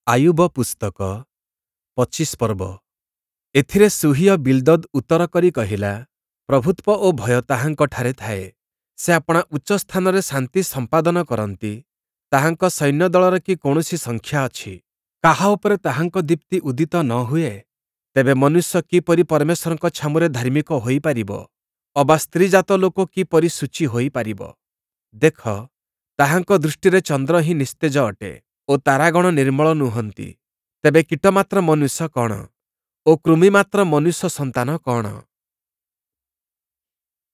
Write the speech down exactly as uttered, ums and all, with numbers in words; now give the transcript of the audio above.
ଆୟୁବ ପୁସ୍ତକ ପଚିଶ ପର୍ବ। ଏଥିରେ ଶୂହୀୟ ବିଲ୍ଦଦ୍ ଉତ୍ତର କରି କହିଲା, ପ୍ରଭୁତ୍ଵ ଓ ଭୟ ତାହାଙ୍କଠାରେ ଥାଏ। ସେ ଆପଣା ଉଚ୍ଚ ସ୍ଥାନରେ ଶାନ୍ତି ସମ୍ପାଦନ କରନ୍ତି। ତାହାଙ୍କ ସୈନ୍ୟଦଳର କି କୌଣସି ସଂଖ୍ୟା ଅଛି? କାହା ଉପରେ ତାହାଙ୍କ ଦୀପ୍ତି ଉଦିତ ନ ହୁଏ? ତେବେ ମନୁଷ୍ୟ କିପରି ପରମେଶ୍ୱରଙ୍କ ଛାମୁରେ ଧାର୍ମିକ ହୋଇପାରିବ? ଅବା ସ୍ତ୍ରୀଜାତ ଲୋକ କିପରି ଶୁଚି ହୋଇପାରିବ? ଦେଖ, ତାହାଙ୍କ ଦୃଷ୍ଟିରେ ଚନ୍ଦ୍ର ହିଁ ନିସ୍ତେଜ ଅଟେ ଓ ତାରାଗଣ ନିର୍ମଳ ନୁହନ୍ତି। ତେବେ କୀଟମାତ୍ର ମନୁଷ୍ୟ କ'ଣ ଓ କୃମିମାତ୍ର ମନୁଷ୍ୟ ସନ୍ତାନ କ'ଣ?